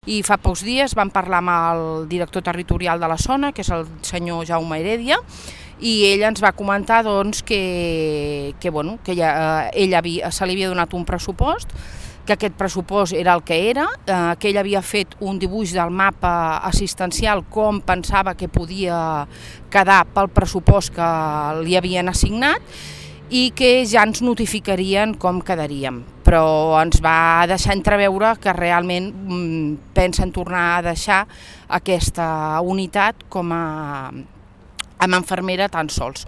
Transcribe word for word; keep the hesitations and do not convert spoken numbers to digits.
I fa pocs dies vam parlar amb el director territorial de la zona, que és el senyor Jaume Heredia, i ell ens va comentar doncs, que, que, bueno, que ella, ell havia, se li havia donat un pressupost, que aquest pressupost era el que era, eh, que ell havia fet un dibuix del mapa assistencial com pensava que podia quedar pel pressupost que li havien assignat i que ja ens notificarien com quedaríem. Però ens va deixar entreveure que realment mm, pensen tornar a deixar aquesta unitat com a, amb infermera tan sols.